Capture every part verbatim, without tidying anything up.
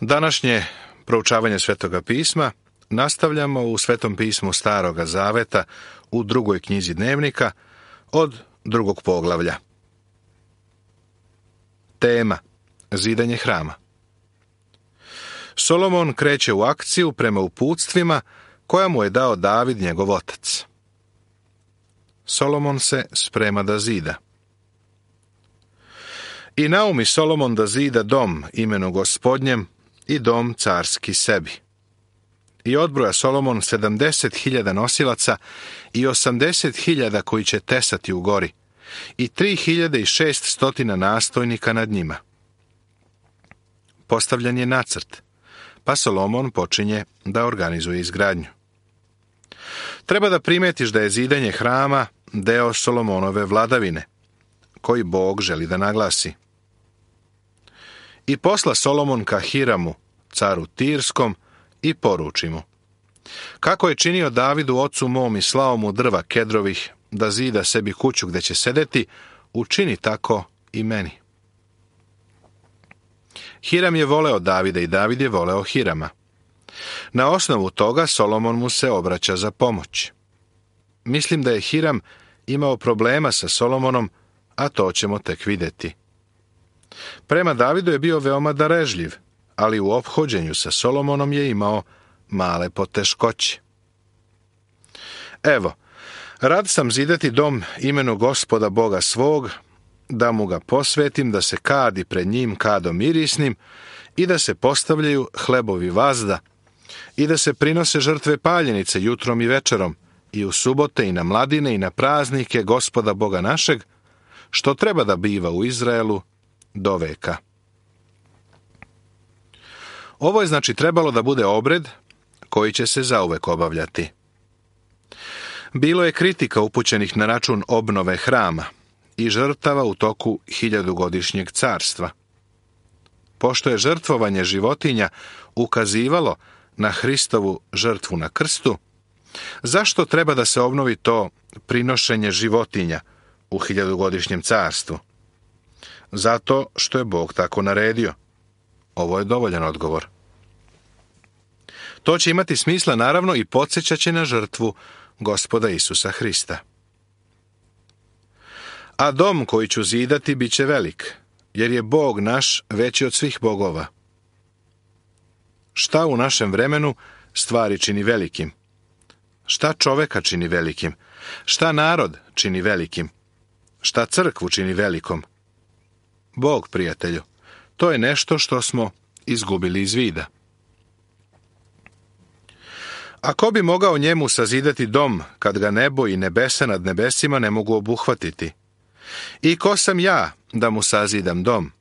Današnje proučavanje Svetoga pisma nastavljamo u Svetom pismu Staroga zaveta u drugoj knjizi Dnevnika od drugog poglavlja. Tema: zidanje hrama. Solomon kreće u akciju prema uputstvima koja mu je dao David, njegov otac. Solomon se sprema da zida. I naumi Solomon da zida dom imenu Gospodnjem i dom carski sebi. I odbroja Solomon sedamdeset hiljada nosilaca i osamdeset hiljada koji će tesati u gori i tri hiljade i šest stotina nastojnika nad njima. Postavljen je nacrt, pa Solomon počinje da organizuje izgradnju. Treba da primetiš da je zidanje hrama deo Solomonove vladavine, koji Bog želi da naglasi. I posla Solomon ka Hiramu, caru Tirskom, i poruči mu: kako je činio Davidu ocu mom i slao mu drva kedrovih da zida sebi kuću gde će sedeti, učini tako i meni. Hiram je voleo Davida i David je voleo Hirama. Na osnovu toga Solomon mu se obraća za pomoć. Mislim da je Hiram imao problema sa Solomonom, a to ćemo tek vidjeti. Prema Davidu je bio veoma darežljiv, ali u ophođenju sa Solomonom je imao male poteškoće. Evo, rad sam zidati dom imenu Gospoda Boga svog, da mu ga posvetim, da se kadi pred njim kadom mirisnim i da se postavljaju hlebovi vazda i da se prinose žrtve paljenice jutrom i večerom i u subote i na mladine i na praznike Gospoda Boga našeg, što treba da biva u Izraelu do veka. Ovo je znači trebalo da bude obred koji će se zauvek obavljati. Bilo je kritika upućenih na račun obnove hrama i žrtava u toku hiljadugodišnjeg carstva. Pošto je žrtvovanje životinja ukazivalo na Hristovu žrtvu na krstu, zašto treba da se obnovi to prinošenje životinja u hiljadugodišnjem carstvu? Zato što je Bog tako naredio. Ovo je dovoljan odgovor. To će imati smisla naravno i podsjećat će na žrtvu Gospoda Isusa Hrista. A dom koji ću zidati bit će velik, jer je Bog naš veći od svih bogova. Šta u našem vremenu stvari čini velikim? Šta čoveka čini velikim? Šta narod čini velikim? Šta crkvu čini velikom? Bog, prijatelju, to je nešto što smo izgubili iz vida. A ko bi mogao njemu sazidati dom, kad ga nebo i nebesa nad nebesima ne mogu obuhvatiti? I ko sam ja da mu sazidam dom?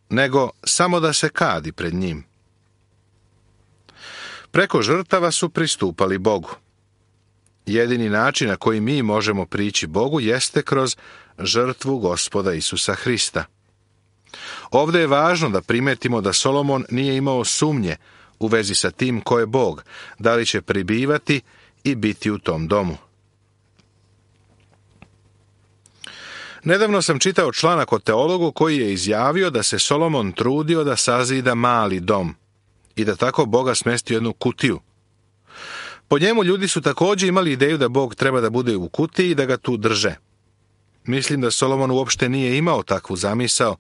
Nego samo da se kadi pred njim. Preko žrtava su pristupali Bogu. Jedini način na koji mi možemo prići Bogu jeste kroz žrtvu Gospoda Isusa Hrista. Ovdje je važno da primetimo da Solomon nije imao sumnje u vezi sa tim ko je Bog, da li će pribivati i biti u tom domu. Nedavno sam čitao članak o teologu koji je izjavio da se Solomon trudio da sazida mali dom i da tako Boga smesti u jednu kutiju. Po njemu ljudi su također imali ideju da Bog treba da bude u kutiji i da ga tu drže. Mislim da Solomon uopšte nije imao takvu zamisao,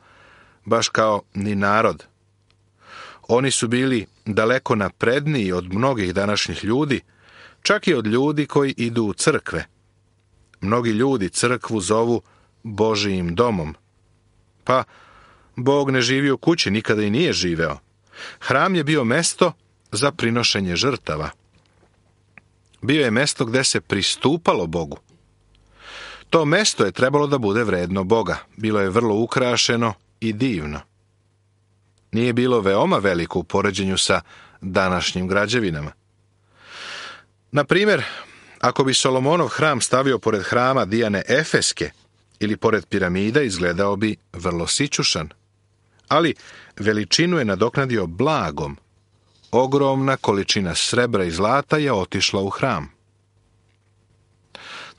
baš kao ni narod. Oni su bili daleko napredniji od mnogih današnjih ljudi, čak i od ljudi koji idu u crkve. Mnogi ljudi crkvu zovu Božijim domom. Pa, Bog ne živi u kući, nikada i nije živeo. Hram je bio mesto za prinošenje žrtava. Bio je mesto gde se pristupalo Bogu. To mesto je trebalo da bude vredno Boga. Bilo je vrlo ukrašeno i divno. Nije bilo veoma veliko u poređenju sa današnjim građevinama. Na primjer, ako bi Solomonov hram stavio pored hrama Dijane Efeske ili pored piramida, izgledao bi vrlo sićušan. Ali veličinu je nadoknadio blagom. Ogromna količina srebra i zlata je otišla u hram.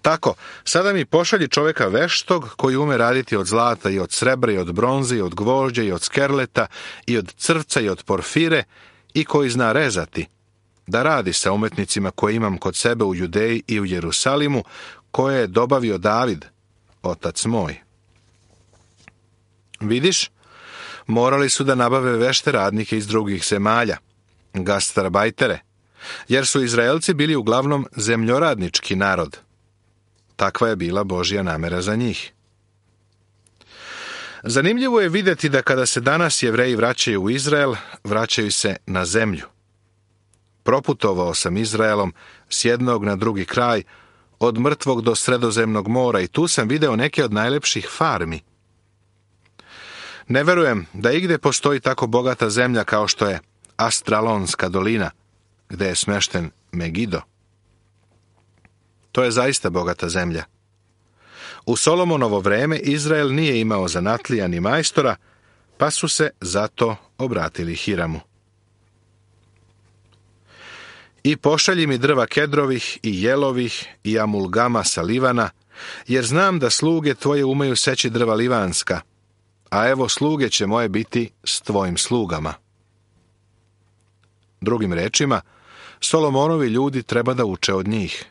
Tako, sada mi pošalji čovjeka veštog koji ume raditi od zlata i od srebra i od bronze i od gvožđa i od skerleta i od crvca i od porfire i koji zna rezati, da radi sa umetnicima koje imam kod sebe u Judeji i u Jerusalimu, koje je dobavio David, otac moj. Vidiš, morali su da nabave vešte radnike iz drugih zemalja, gastarbajtere, jer su Izraelci bili uglavnom zemljoradnički narod. Takva je bila Božja namera za njih. Zanimljivo je vidjeti da kada se danas Jevreji vraćaju u Izrael, vraćaju se na zemlju. Proputovao sam Izraelom s jednog na drugi kraj, od mrtvog do Sredozemnog mora, i tu sam video neke od najlepših farmi. Ne verujem da igde postoji tako bogata zemlja kao što je Astralonska dolina, gde je smešten Megido. To je zaista bogata zemlja. U Solomonovo vreme Izrael nije imao zanatlija ni majstora, pa su se zato obratili Hiramu. I pošalji mi drva kedrovih i jelovih i amulgama sa Livana, jer znam da sluge tvoje umeju seći drva livanska, a evo sluge će moje biti s tvojim slugama. Drugim rečima, Solomonovi ljudi treba da uče od njih.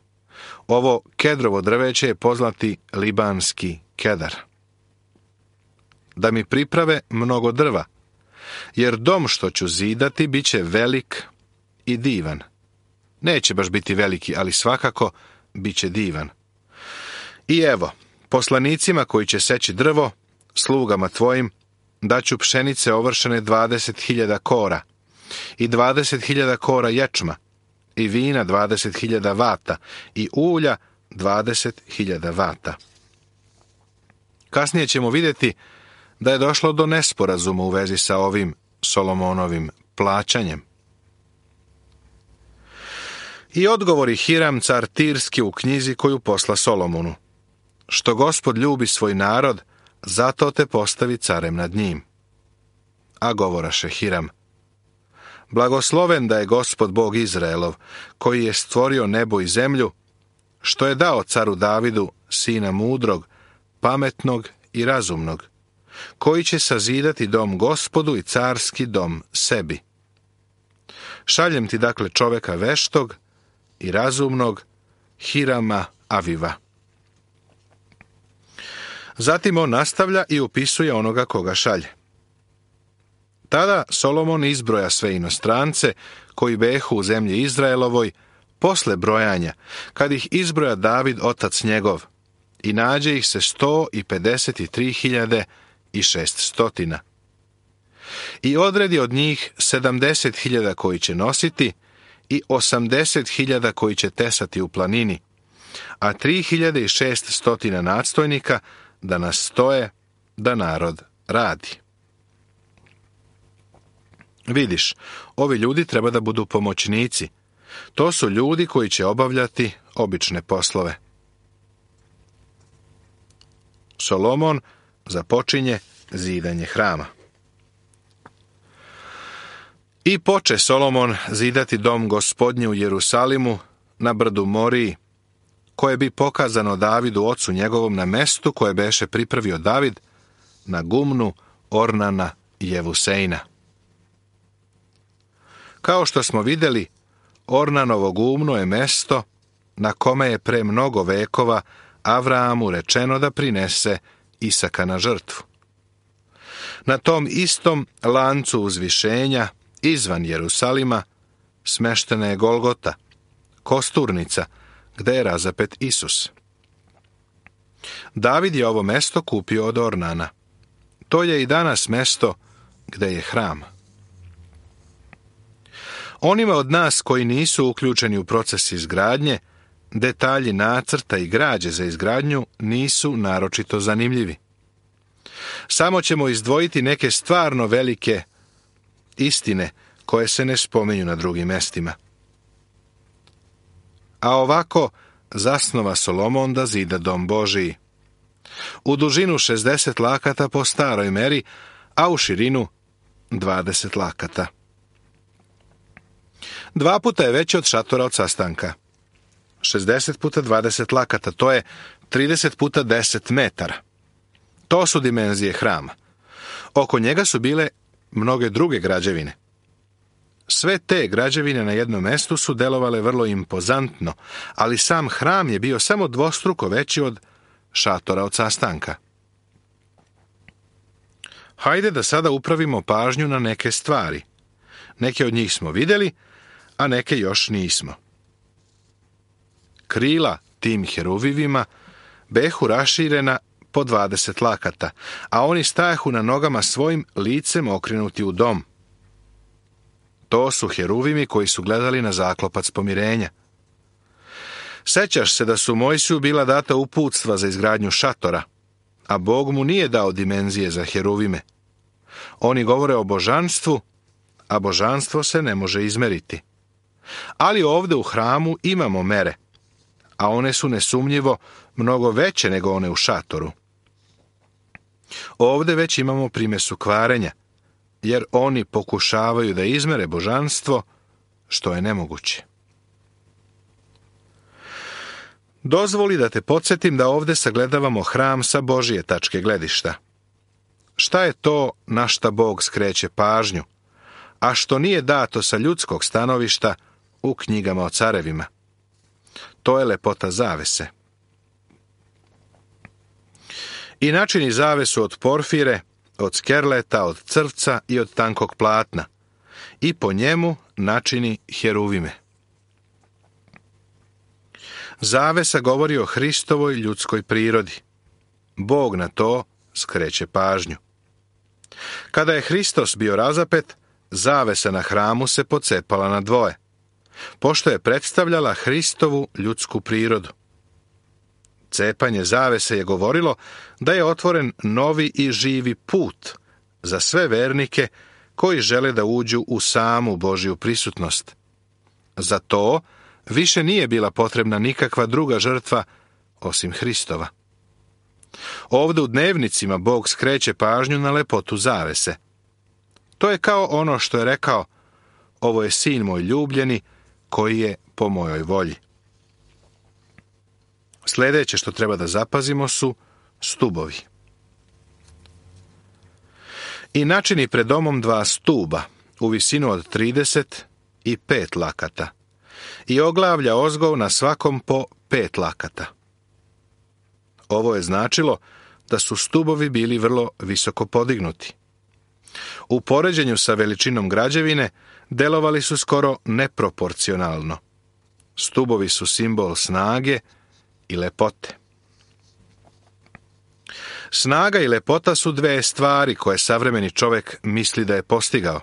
Ovo kedrovo drveće je poznati libanski kedar. Da mi priprave mnogo drva, jer dom što ću zidati bit će velik i divan. Neće baš biti veliki, ali svakako bit će divan. I evo, poslanicima koji će seći drvo, slugama tvojim, daću pšenice ovršene dvadeset hiljada kora i dvadeset hiljada kora ječma, i vina dvadeset hiljada vata, i ulja dvadeset hiljada vata. Kasnije ćemo vidjeti da je došlo do nesporazuma u vezi sa ovim Solomonovim plaćanjem. I odgovori Hiram, car Tirski, u knjizi koju posla Solomonu. Što Gospod ljubi svoj narod, zato te postavi carem nad njim. A govoraše Hiram: blagosloven da je Gospod Bog Izraelov, koji je stvorio nebo i zemlju, što je dao caru Davidu sina mudrog, pametnog i razumnog, koji će sazidati dom Gospodu i carski dom sebi. Šaljem ti dakle čoveka veštog i razumnog, Hirama Aviva. Zatim on nastavlja i upisuje onoga koga šalje. Tada Solomon izbroja sve inostrance koji behu u zemlji Izraelovoj posle brojanja, kad ih izbroja David otac njegov, i nađe ih se sto i pedeset tri hiljade i šest stotina. I odredi od njih sedamdeset hiljada koji će nositi i osamdeset hiljada koji će tesati u planini, a tri hiljade i šest stotina nadstojnika da nastoje da narod radi. Vidiš, ovi ljudi treba da budu pomoćnici. To su ljudi koji će obavljati obične poslove. Solomon započinje zidanje hrama. I poče Solomon zidati dom Gospodnji u Jerusalimu na brdu Moriji, koje bi pokazano Davidu ocu njegovom na mestu koje beše pripravio David, na gumnu Ornana i Jevusejna. Kao što smo vidjeli, Ornanovo gumno je mesto na kome je pre mnogo vekova Avraamu rečeno da prinese Isaka na žrtvu. Na tom istom lancu uzvišenja, izvan Jerusalima, smeštena je Golgota, kosturnica, gde je razapet Isus. David je ovo mesto kupio od Ornana. To je i danas mesto gde je hram. Onima od nas koji nisu uključeni u proces izgradnje, detalji nacrta i građe za izgradnju nisu naročito zanimljivi. Samo ćemo izdvojiti neke stvarno velike istine koje se ne spominju na drugim mestima. A ovako zasnova Solomon da zida dom Božiji. U dužinu šezdeset lakata po staroj meri, a u širinu dvadeset lakata. Dva puta je veći od šatora od sastanka. šezdeset puta dvadeset lakata, to je trideset puta deset metara. To su dimenzije hrama. Oko njega su bile mnoge druge građevine. Sve te građevine na jednom mestu su delovale vrlo impozantno, ali sam hram je bio samo dvostruko veći od šatora od sastanka. Hajde da sada upravimo pažnju na neke stvari. Neke od njih smo vidjeli, a neke još nismo. Krila tim heruvivima behu raširena po dvadeset lakata, a oni stajahu na nogama svojim licem okrenuti u dom. To su heruvimi koji su gledali na zaklopac pomirenja. Sećaš se da su Mojsiju bila data uputstva za izgradnju šatora, a Bog mu nije dao dimenzije za heruvime. Oni govore o božanstvu, a božanstvo se ne može izmeriti. Ali ovdje u hramu imamo mere, a one su nesumnjivo mnogo veće nego one u šatoru. Ovdje već imamo primesu kvarenja, jer oni pokušavaju da izmere božanstvo, što je nemoguće. Dozvoli da te podsjetim da ovdje sagledavamo hram sa Božije tačke gledišta. Šta je to na šta Bog skreće pažnju, a što nije dato sa ljudskog stanovišta u knjigama o carevima? To je lepota zavese. I načini zavesu od porfire, od skerleta, od crvca i od tankog platna, i po njemu načini heruvime. Zavesa govori o Hristovoj ljudskoj prirodi. Bog na to skreće pažnju. Kada je Hristos bio razapet, zavesa na hramu se pocepala na dvoje, pošto je predstavljala Hristovu ljudsku prirodu. Cepanje zavese je govorilo da je otvoren novi i živi put za sve vernike koji žele da uđu u samu Božju prisutnost. Za to više nije bila potrebna nikakva druga žrtva osim Hristova. Ovdje u dnevnicima Bog skreće pažnju na lepotu zavese. To je kao ono što je rekao: ovo je sin moj ljubljeni, koji je po mojoj volji. Sljedeće što treba da zapazimo su stubovi. I načini pred domom dva stuba u visinu od trideset i pet lakata i oglavlja ozgov na svakom po pet lakata. Ovo je značilo da su stubovi bili vrlo visoko podignuti. U poređenju sa veličinom građevine delovali su skoro neproporcionalno. Stubovi su simbol snage i lepote. Snaga i lepota su dve stvari koje savremeni čovjek misli da je postigao.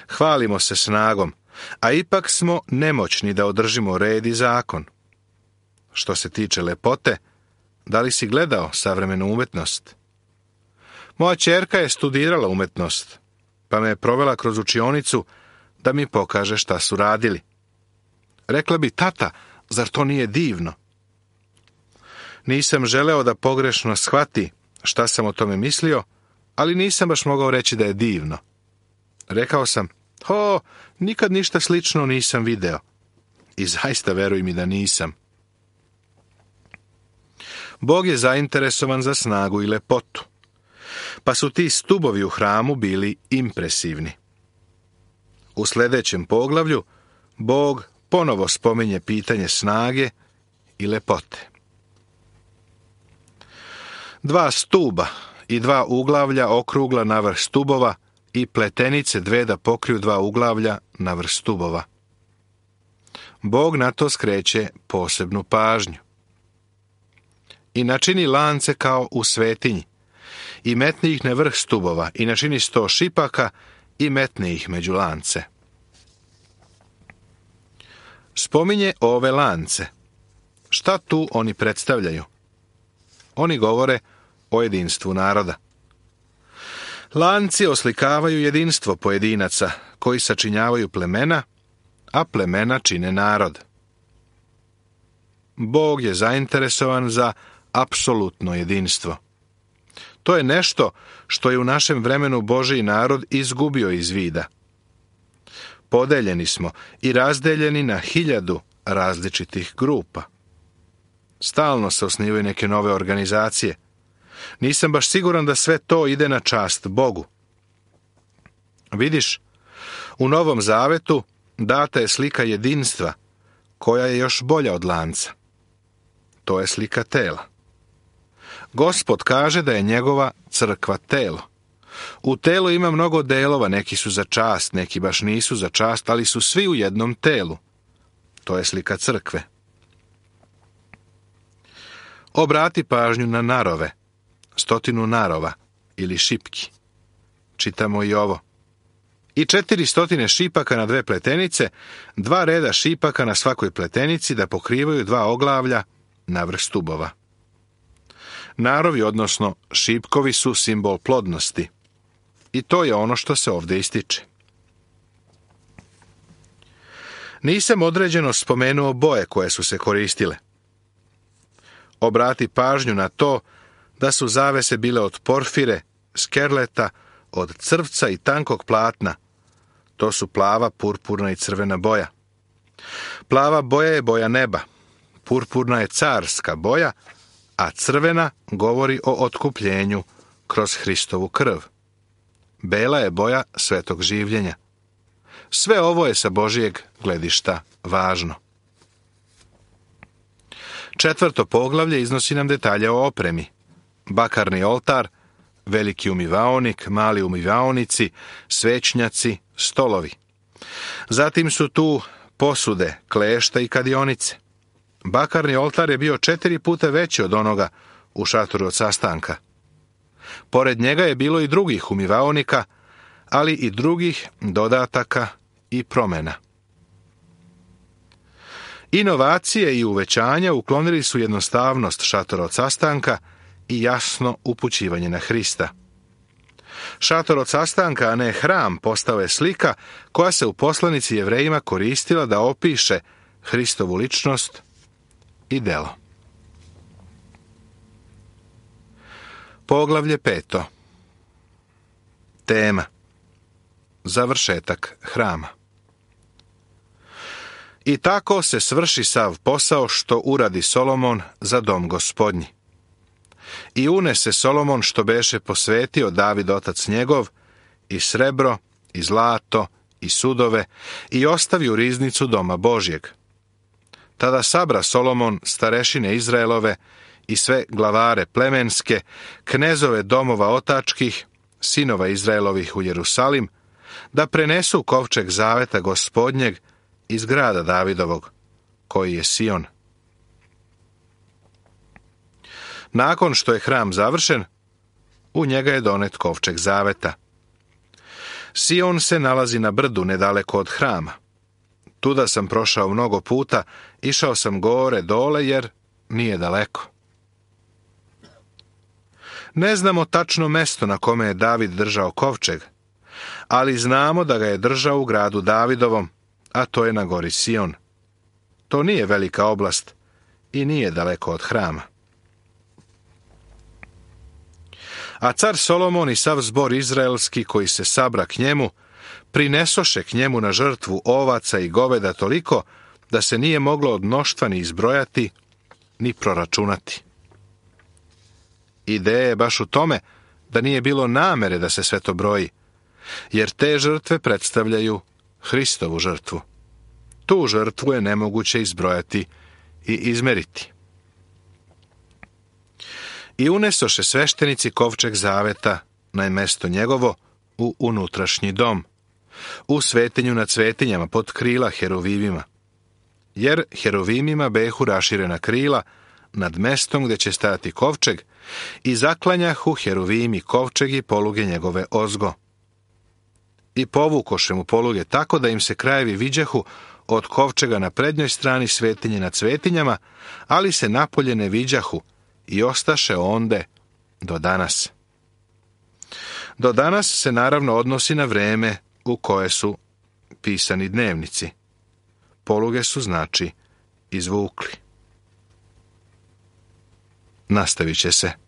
Hvalimo se snagom, a ipak smo nemoćni da održimo red i zakon. Što se tiče lepote, da li si gledao savremenu umetnost? Moja ćerka je studirala umetnost, pa me je provela kroz učionicu da mi pokaže šta su radili. Rekla bi: tata, zar to nije divno? Nisam želeo da pogrešno shvati šta sam o tome mislio, ali nisam baš mogao reći da je divno. Rekao sam: o, nikad ništa slično nisam video. I zaista veruj mi da nisam. Bog je zainteresovan za snagu i lepotu, pa su ti stubovi u hramu bili impresivni. U sljedećem poglavlju Bog ponovo spominje pitanje snage i lepote. Dva stuba i dva uglavlja okrugla na vrh stubova i pletenice dve da pokriju dva uglavlja na vrh stubova. Bog na to skreće posebnu pažnju. I načini lance kao u svetinji, i metni ih na vrh stubova, i načini sto šipaka, i metni ih među lance. Spominje ove lance. Šta tu oni predstavljaju? Oni govore o jedinstvu naroda. Lanci oslikavaju jedinstvo pojedinaca koji sačinjavaju plemena, a plemena čine narod. Bog je zainteresovan za apsolutno jedinstvo. To je nešto što je u našem vremenu Božji narod izgubio iz vida. Podeljeni smo i razdeljeni na hiljadu različitih grupa. Stalno se osnivaju neke nove organizacije. Nisam baš siguran da sve to ide na čast Bogu. Vidiš, u Novom Zavetu data je slika jedinstva, koja je još bolja od lanca. To je slika tela. Gospod kaže da je njegova crkva telo. U telu ima mnogo delova, neki su za čast, neki baš nisu za čast, ali su svi u jednom telu. To je slika crkve. Obrati pažnju na narove, stotinu narova ili šipki. Čitamo i ovo. I četiri stotine šipaka na dve pletenice, dva reda šipaka na svakoj pletenici da pokrivaju dva oglavlja na vrh stubova. Narovi, odnosno šipkovi, su simbol plodnosti. I to je ono što se ovdje ističe. Nisam određeno spomenuo boje koje su se koristile. Obrati pažnju na to da su zavese bile od porfire, skerleta, od crvca i tankog platna. To su plava, purpurna i crvena boja. Plava boja je boja neba, purpurna je carska boja, a crvena govori o otkupljenju kroz Hristovu krv. Bela je boja svetog življenja. Sve ovo je sa Božijeg gledišta važno. Četvrto poglavlje iznosi nam detalje o opremi. Bakarni oltar, veliki umivaonik, mali umivaonici, svećnjaci, stolovi. Zatim su tu posude, klešta i kadionice. Bakarni oltar je bio četiri puta veći od onoga u šatoru od sastanka. Pored njega je bilo i drugih umivaonika, ali i drugih dodataka i promjena. Inovacije i uvećanja uklonili su jednostavnost šatora od sastanka i jasno upućivanje na Hrista. Šator od sastanka, a ne hram, postao je slika koja se u poslanici Jevrejima koristila da opiše Hristovu ličnost i delo. Poglavlje peto. Tema. Završetak hrama. I tako se svrši sav posao što uradi Solomon za dom Gospodnji. I unese Solomon što beše posvetio David otac njegov, i srebro, i zlato, i sudove, i ostavi u riznicu doma Božjeg. Tada sabra Solomon starešine Izraelove i sve glavare plemenske, knezove domova otačkih, sinova Izraelovih u Jerusalim, da prenesu kovčeg zaveta Gospodnjeg iz grada Davidovog, koji je Sion. Nakon što je hram završen, u njega je donet kovčeg zaveta. Sion se nalazi na brdu nedaleko od hrama. Tuda sam prošao mnogo puta, išao sam gore, dole, jer nije daleko. Ne znamo tačno mesto na kome je David držao kovčeg, ali znamo da ga je držao u gradu Davidovom, a to je na gori Sion. To nije velika oblast i nije daleko od hrama. A car Solomon i sav zbor izraelski koji se sabra k njemu, prinesoše k njemu na žrtvu ovaca i goveda toliko da se nije moglo od mnoštva ni izbrojati, ni proračunati. Ideja je baš u tome da nije bilo namere da se sve to broji, jer te žrtve predstavljaju Hristovu žrtvu. Tu žrtvu je nemoguće izbrojati i izmeriti. I unesoše sveštenici kovčeg zaveta na mesto njegovo u unutrašnji dom, u svetinju nad svetinjama pod krila heruvimima, jer heruvimima behu raširena krila nad mestom gdje će stajati kovčeg i zaklanjahu heruvimi kovčeg i poluge njegove ozgo. I povukoše mu poluge tako da im se krajevi viđahu od kovčega na prednjoj strani svetinje nad svetinjama, ali se napolje ne viđahu i ostaše onde do danas. Do danas se naravno odnosi na vreme u koje su pisani dnevnici. Poluge su znači izvukli. Nastavit će se.